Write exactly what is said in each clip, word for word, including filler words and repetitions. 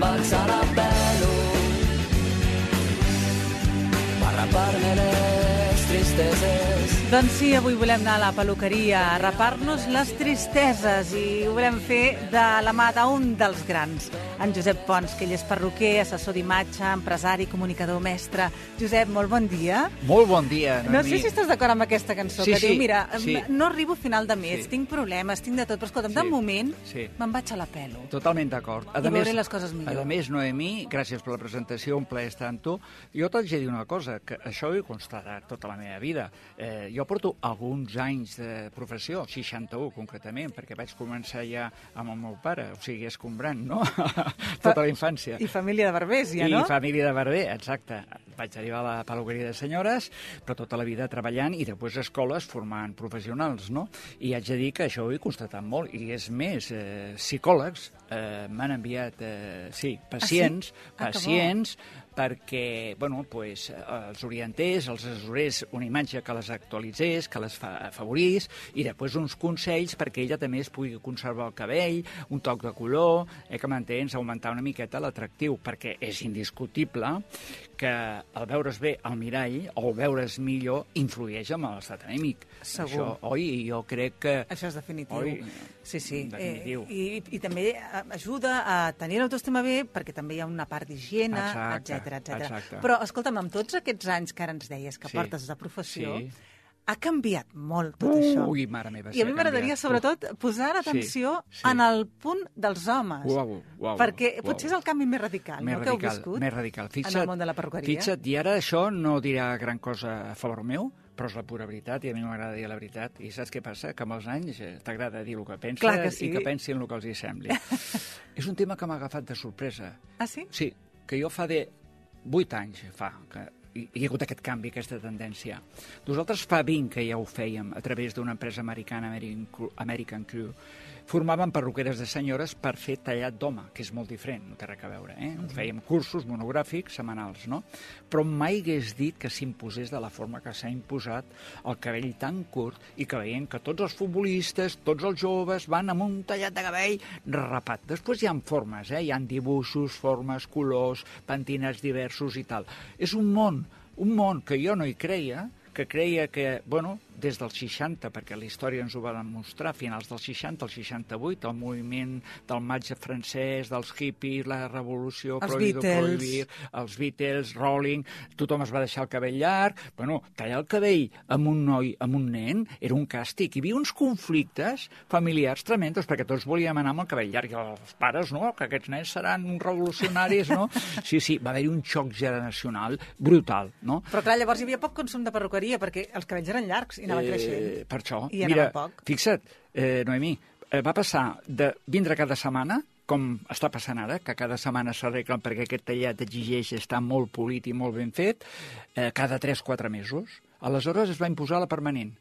Me'n vaig a la pelo per rapar-me les tristeses. Doncs sí, avui volem anar a la peluqueria a rapar-nos les tristeses i ho volem fer de la mà d'un dels grans, en Josep Pons, que ell és perruquer, assessor d'imatge, empresari, comunicador, mestre. Josep, molt bon dia. Molt bon dia. No sé si estàs d'acord amb aquesta cançó, sí, que sí, diu, mira, sí. no arribo a final de mes, Sí. tinc problemes, tinc de tot, però escolta'm, Sí, de moment sí. me'n vaig a la pelo. Totalment d'acord. A I més- veuré les coses millor. A més, Noemí, gràcies per la presentació, un plaer estar amb tu. Jo t'haig de dir una cosa, que això ho he constatat tota la meva vida. Eh, jo porto alguns anys de professió, seixanta-u concretament, perquè vaig començar ja amb el meu pare, o sigui, escombrant, no? Tota la infància. I família de barbers, ja, I no? família de barber, exacte. Vaig arribar a la peluqueria de senyores, però tota la vida treballant i després a escoles formant professionals, no? I haig de dir que això ho he constatat molt. I és més, eh, psicòlegs eh, m'han enviat, eh, sí, pacients, Ah, que bo. pacients, perquè, bueno, pues, els orientés, els assessorés una imatge que les actualitzés, que les fa afavorís, i després uns consells perquè ella també es pugui conservar el cabell, un toc de color, eh, que m'entens, augmentar una miqueta l'atractiu, perquè és indiscutible que el veure's bé al mirall o el veure's millor influeix en l'estat anèmic. Segur. Això, oi, jo crec que... Això és definitiu. Oi, sí, sí. definitiu. Eh, i, I també eh, ajuda a tenir l'autoestima bé, perquè també hi ha una part d'higiene, Exacte, etcètera, etcètera. exacte. Però, escolta'm, amb tots aquests anys que ara ens deies que Sí, portes de professió, sí. ha canviat molt tot això. Ui, mare meva, I a mi m'agradaria, sobretot, posar Sí, l'atenció sí. en el punt dels homes. Uau, uau, perquè uau. potser és el canvi més radical, Més no?, que heu radical, viscut més radical. Fixa't, en el món de la perruqueria. Fixa't, i ara això no dirà gran cosa a favor meu, però és la pura veritat, i a mi m'agrada dir la veritat. I saps què passa? Que amb els anys eh, t'agrada dir el que penses Clar que sí. i que pensin el que els hi sembli. És un tema que m'ha agafat de sorpresa. Ah, sí? Sí, que jo fa de vuit anys fa que hi hi ha hagut aquest canvi, aquesta tendència. Nosaltres fa vint que ja ho fèiem a través d'una empresa americana, American Crew, American Crew. Formàvem perruqueres de senyores per fer tallat d'home, que és molt diferent, no té res a veure. Eh? Mm-hmm. Fèiem cursos monogràfics setmanals, no? Però mai hagués dit que s'imposés de la forma que s'ha imposat el cabell tan curt i que veiem que tots els futbolistes, tots els joves van amb un tallat de cabell rapat. Després hi ha formes, eh? Hi ha dibuixos, formes, colors, pentinats diversos i tal. És un món, un món que jo no hi creia, que creia que, bueno, des dels seixanta, perquè la història ens ho va demostrar, a finals dels seixanta, el seixanta-vuit, el moviment del maig francès, dels hippies, la revolució, Els prohibido Beatles. prohibir, els Beatles, Rolling, tothom es va deixar el cabell llarg. Bueno, tallar el cabell amb un noi, amb un nen, era un càstig. Hi havia uns conflictes familiars tremendos, perquè tots volíem anar amb el cabell llarg, i els pares, no?, que aquests nens seran uns revolucionaris, no? Sí, sí, va haver-hi un xoc generacional brutal, no? Però clar, llavors hi havia poc consum de perruqueria, perquè els cabells eren llargs i anaven creixent. Eh, per això, I mira, anava poc. fixa't, eh, Noemí, eh, va passar de vindre cada setmana, com està passant ara, que cada setmana s'arreglen perquè aquest tallat exigeix estar molt polit i molt ben fet, eh, cada tres o quatre mesos. Aleshores es va imposar la permanent.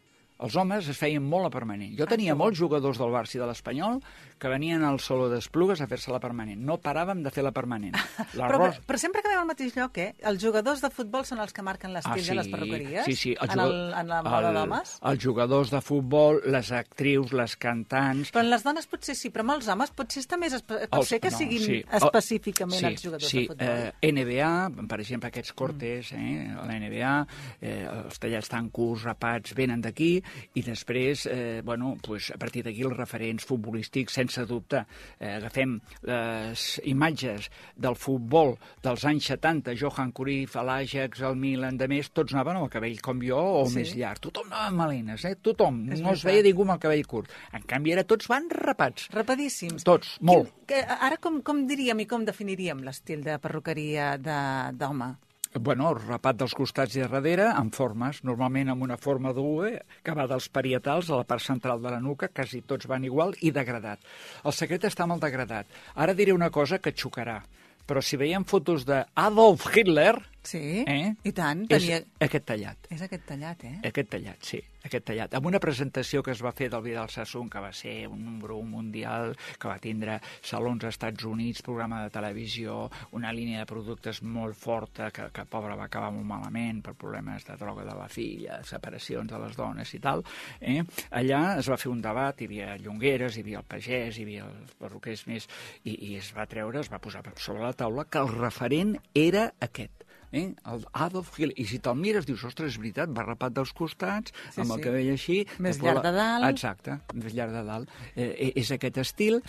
Els homes es feien molt a permanent. Jo tenia molts jugadors del Barça i de l'Espanyol que venien al Saló d'Esplugues a fer-se la permanent. No paràvem de fer la permanent. Però, però, però sempre acabem al mateix lloc, eh? Els jugadors de futbol són els que marquen l'estil Ah, sí, de les perruqueries? sí, sí, el en, jugador- el, en la moda el- d'homes? Els jugadors de futbol, les actrius, les cantants... Però en les dones potser sí, però amb els homes potser està més... Espe... Pot Els- ser que no, siguin sí. específicament sí, els jugadors sí, de futbol. Eh, N B A, per exemple, aquests cortes, eh, a la N B A, eh, els tallats tan curts, rapats, venen d'aquí, i després, eh, bueno, pues, a partir d'aquí els referents futbolístics, sense dubte. Eh, agafem les imatges del futbol dels anys setanta, Johan Cruyff, l'Ajax, el Milan, de més, tots anaven amb el cabell com jo o Sí. més llarg. Tothom anava amb melenes, eh? Tothom. És No es veritat. veia ningú amb el cabell curt. En canvi, ara tots van rapats. Rapadíssims. Tots, molt. Quin, que, ara com, com diríem i com definiríem l'estil de perruqueria de- d'home? Bueno, el rapat dels costats i a darrere, amb formes, normalment amb una forma d'U, que va dels parietals a la part central de la nuca, quasi tots van igual, i degradat. El secret està amb el degradat. Ara diré una cosa que xocarà, però si veiem fotos d'Adolf Hitler, Sí, eh? i tant. És Tenia... aquest tallat. És aquest tallat, eh? Aquest tallat, sí, aquest tallat. Amb una presentació que es va fer del Vidal Sassoon, que va ser un número un mundial, que va tindre salons als Estats Units, programa de televisió, una línia de productes molt forta, que, que pobre va acabar molt malament per problemes de droga de la filla, separacions de les dones i tal. Eh? Allà es va fer un debat, hi havia llongueres, hi havia el pagès, hi havia els perruquers més, i, i es va treure, es va posar sobre la taula que el referent era aquest. Eh? El Adolf Hitler. I si te'l mires, dius, ostres, és veritat, va rapat dels costats, sí, amb el sí. cabell així... Més llarg de dalt. Exacte, més llarg de dalt. Eh, és aquest estil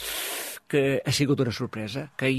que ha sigut una sorpresa, que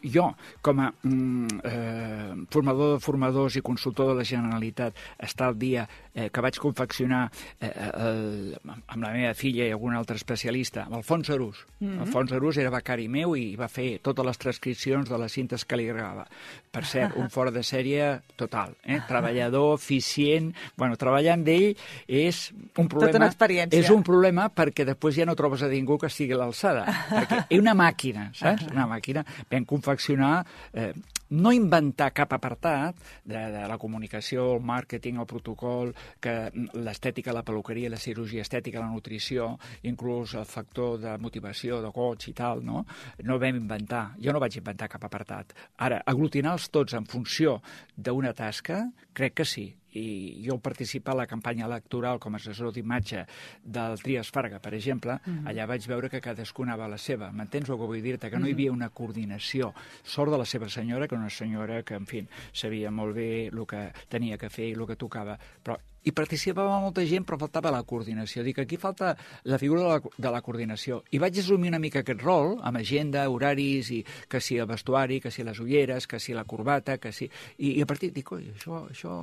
jo, com a mm, eh, formador de formadors i consultor de la Generalitat, està al dia eh, que vaig confeccionar eh, el, amb la meva filla i algun altre especialista, amb Alfons Arús. Mm-hmm. Alfons Arús era becari meu i va fer totes les transcripcions de les cintes que li agradava. Per cert, un fora de sèrie total, eh? Treballador, eficient... Bueno, treballar amb ell és un problema... Tota una experiència. És un problema perquè després ja no trobes a ningú que estigui a l'alçada. Perquè és una màquina, saps? Una màquina. Vam confeccionar... Eh, no inventar cap apartat de, de la comunicació, el màrqueting, el protocol, que l'estètica, la peluqueria, la cirurgia estètica, la nutrició, inclús el factor de motivació, de goig i tal, no? No ho vam inventar. Jo no vaig inventar cap apartat. Ara, aglutinar-los tots en funció d'una tasca, crec que sí. I jo participar a la campanya electoral com a assessor d'imatge del Trias Farga, per exemple, uh-huh. allà vaig veure que cadascú anava a la seva. M'entens el que vull dir-te? Que no hi havia una coordinació. Sort de la seva senyora, que una senyora que, en fi, sabia molt bé el que tenia que fer i el que tocava. Però hi participava molta gent, però faltava la coordinació. Dic, aquí falta la figura de la, de la coordinació. I vaig assumir una mica aquest rol, amb agenda, horaris, i que si el vestuari, que si les ulleres, que si la corbata, que si... I, i a partir dic, oi, això, això,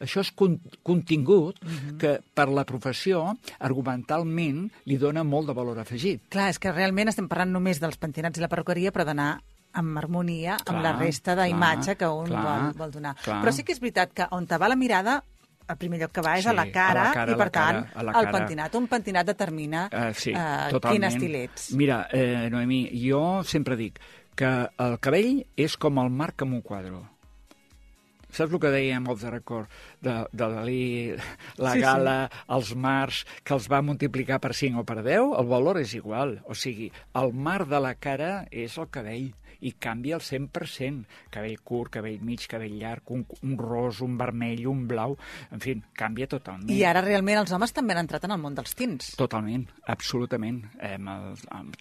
això és con contingut uh-huh. que per la professió, argumentalment, li dona molt de valor afegit. Clar, és que realment estem parlant només dels pentinats i la perruqueria, però d'anar amb harmonia clar, amb la resta d'imatge que un clar, vol, vol donar. Clar. Però sí que és veritat que on te va la mirada el primer lloc que va és sí, a la cara, a la cara i, per tant, cara, el pentinat. Un pentinat determina uh, sí, uh, quin estil ets. Mira, eh, Noemí, jo sempre dic que el cabell és com el marc en un quadre. Saps el que dèiem off the record de, de Dalí, la sí, gala, sí. els mars, que els va multiplicar per cinc o per deu? El valor és igual. O sigui, el mar de la cara és el cabell i canvia el cent per cent. Cabell curt, cabell mig, cabell llarg, un, un ros, un vermell, un blau... En fi, canvia totalment. I ara realment els homes també han entrat en el món dels tints. Totalment, absolutament. Eh,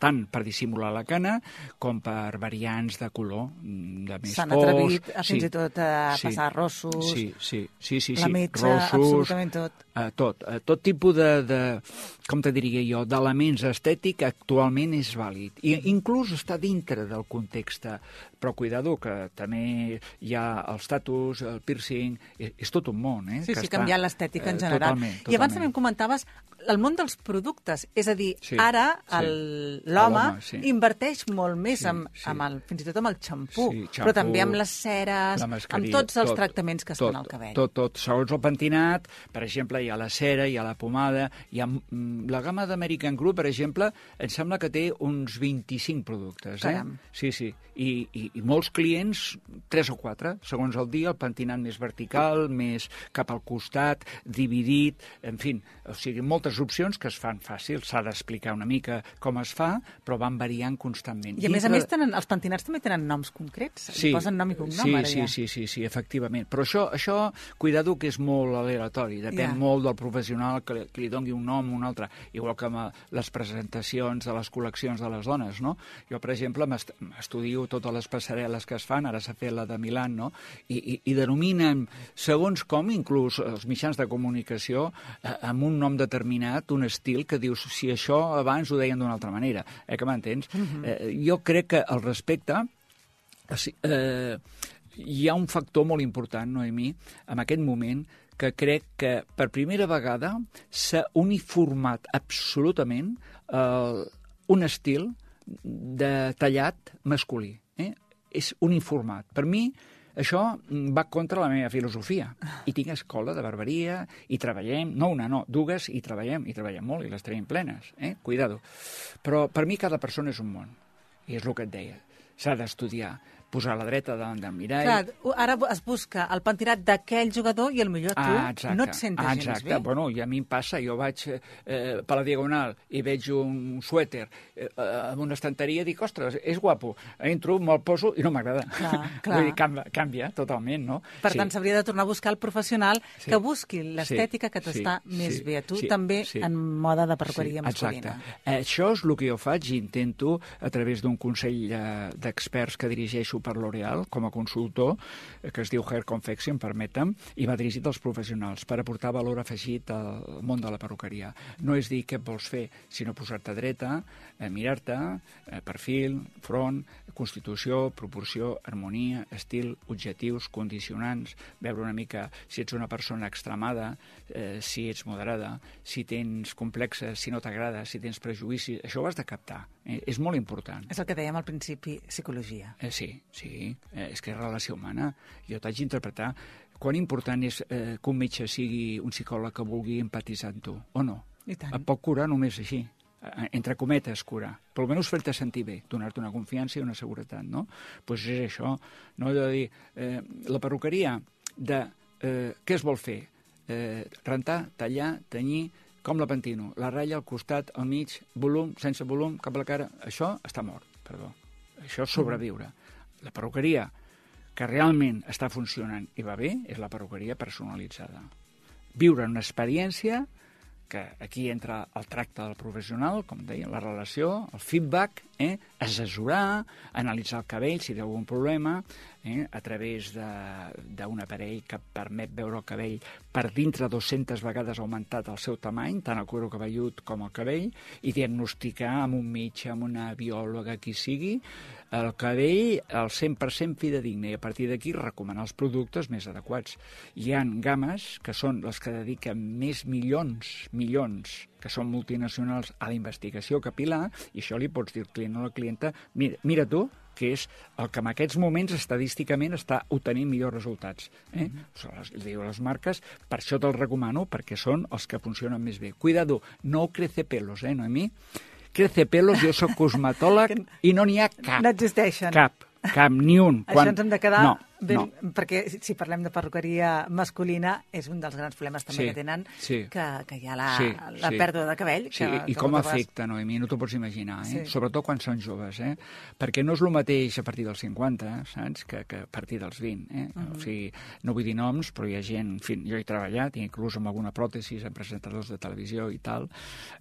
tant per dissimular la cana com per variants de color, de més S'han fos. atrevit a, fins sí, i tot a sí, passar rossos, sí, sí, sí, sí, la sí. metxa, rossos, absolutament tot. Eh, tot, eh, tot tipus de, de, com te diria jo, d'elements estètics actualment és vàlid. I inclús està dintre del context. Però cuidado, que també hi ha el status, el piercing, és, és tot un món, eh? Sí, que sí, està, canviant l'estètica en general. Totalment, totalment. I abans també em comentaves el món dels productes, és a dir, sí, ara sí. l'home sí. inverteix molt més, sí, amb, sí. amb el, fins i tot amb el xampú, sí, xampú, però també amb les ceres, amb tots els tot, tractaments que es tot, fan al cabell. Tot, tot, segons el pentinat, per exemple, hi ha la cera, hi ha la pomada, hi ha la gamma d'American Crew, per exemple, em sembla que té uns vint-i-cinc productes. Eh? Caram. Sí, sí. I, i, i molts clients, tres o quatre, segons el dia, el pentinat més vertical, més cap al costat, dividit, en fi, o sigui, moltes opcions que es fan fàcil, s'ha d'explicar una mica com es fa, però van variant constantment. I a més a més, tenen, els pentinats també tenen noms concrets, sí, posen nom i cognom, sí, ara sí, ja. Sí, sí, sí, efectivament. Però això, això cuidado que és molt aleatori, depèn yeah. molt del professional que li, que li doni un nom o un altre, igual que amb les presentacions de les col·leccions de les dones, no? Jo, per exemple, m'estudio totes les passarel·les que es fan, ara s'ha fet la de Milán, no? I, i, i denominen, segons com, inclús els mitjans de comunicació, eh, amb un nom determinat, un estil que dius, si això abans ho deien d'una altra manera, eh, que m'entens? Uh-huh. eh, jo crec que al respecte eh, hi ha un factor molt important, Noemí, en aquest moment, que crec que per primera vegada s'ha uniformat absolutament eh, un estil de tallat masculí. Eh? És uniformat. Per mi, això va contra la meva filosofia. I tinc escola de barberia, i treballem, no una, no, dues, i treballem, i treballem molt, i les tenim plenes. Eh? Cuidado. Però per mi cada persona és un món. I és el que et deia. S'ha d'estudiar. posar la dreta davant del mirall. Clar, ara es busca el pentinat d'aquell jugador i potser tu ah, exacte. no et sentes ah, gens exacte. bé. Bueno, i a mi em passa, jo vaig eh, per la Diagonal i veig un suèter eh, amb una estanteria i dic, ostres, és guapo. Entro, me'l poso i no m'agrada. Clar, clar. Vull dir, canvia, canvia totalment, no? Per sí. tant, s'hauria de tornar a buscar el professional sí. que busqui l'estètica sí. que t'està sí. més sí. bé a tu, sí. també sí. en moda de perruqueria sí. masculina. Exacte. Això és el que jo faig i intento, a través d'un consell eh, d'experts que dirigeixo per L'Oréal, com a consultor, eh, que es diu Hair Confection, permetem, i va dirigit als professionals per aportar valor afegit al món de la perruqueria. No és dir què vols fer, sinó posar-te dreta, eh, mirar-te, eh, perfil, front, constitució, proporció, harmonia, estil, objectius, condicionants, veure una mica si ets una persona extremada, eh, si ets moderada, si tens complexes, si no t'agrada, si tens prejudicis, això ho has de captar. Eh? És molt important. És el que dèiem al principi, psicologia. Eh, sí, sí, eh, és que és relació humana. Jo t'haig d'interpretar quan important és eh, que un metge sigui un psicòleg que vulgui empatitzar amb tu, o no? I tant. Et pot curar només així, entre cometes curar, però almenys fer-te sentir bé, donar-te una confiança i una seguretat, no? Doncs pues és això, no allò de dir, eh, la perruqueria de eh, què es vol fer? Eh, rentar, tallar, tenyir, com la pentino, la ratlla al costat, al mig, volum, sense volum, cap a la cara, això està mort, perdó. Això és sobreviure. La perruqueria que realment està funcionant i va bé és la perruqueria personalitzada. Viure una experiència que aquí entra el tracte del professional, com deia, la relació, el feedback, eh? assessorar, analitzar el cabell si té algun problema, eh? a través d'un aparell que permet veure el cabell per dintre dues-centes vegades augmentat el seu tamany, tant el cuiro cabellut com el cabell, i diagnosticar amb un metge, amb una biòloga, qui sigui, el cabell al cent per cent fidedigne, i a partir d'aquí recomanar els productes més adequats. Hi ha games que són les que dediquen més milions, milions, que són multinacionals, a la investigació capil·lar, i això li pots dir al client o a la clienta, mira, mira tu, que és el que en aquests moments estadísticament està obtenint millors resultats. Eh? Mm-hmm. les, diu les marques, per això te'ls recomano, perquè són els que funcionen més bé. Cuidado, no crece pelos, eh, Noemí? Crece pelos, jo soc cosmetòleg i no n'hi ha cap. No existeixen. Cap, cap, ni un. Això ens hem de quedar... No, ben, no. Perquè si parlem de perruqueria masculina, és un dels grans problemes també sí, que tenen, sí. que, que hi ha la, sí, la sí. pèrdua de cabell. Sí, que, i que com vegades... afecta, Noemí, no t'ho pots imaginar, eh? Sí. Sobretot quan són joves, eh? Perquè no és el mateix a partir dels cinquanta, saps?, que, que a partir dels vint, eh? Uh -huh. O sigui, no vull dir noms, però hi ha gent, en fi, jo he treballat, inclús amb alguna pròtesi, en presentadors de televisió i tal,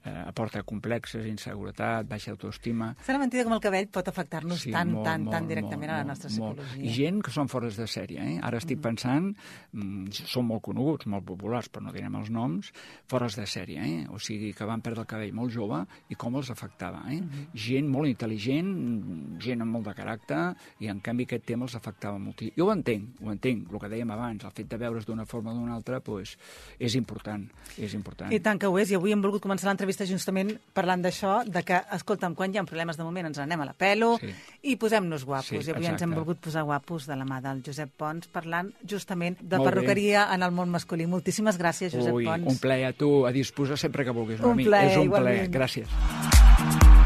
eh, aporta complexes, inseguretat, baixa autoestima... Serà mentida com el cabell pot afectar-nos sí, tant, molt, tant, molt, tan directament molt, a la nostra molt, psicologia. Molt. I gent que són fores de sèrie, eh? Ara estic pensant, mm, són molt coneguts, molt populars, però no direm els noms, fores de sèrie, eh? O sigui, que van perdre el cabell molt jove i com els afectava, eh? Uh-huh. Gent molt intel·ligent, gent amb molt de caràcter, i en canvi aquest tema els afectava molt. Jo ho entenc, ho entenc, el que dèiem abans, el fet de veure's d'una forma o d'una altra, pues, és important, és important. I tant que ho és, i avui hem volgut començar l'entrevista justament parlant d'això, de que, escolta'm, quan hi ha problemes de moment ens n'anem a la pelo sí. i posem-nos guapos. Sí, I avui exacte. ens hem volgut posar guapos de la mà del Josep Pons, parlant justament de Molt perruqueria bé. En el món masculí. Moltíssimes gràcies, Josep Ui, Pons. un plaer a tu, a disposar sempre que vulguis. Un plaer, És un igualment. plaer, gràcies.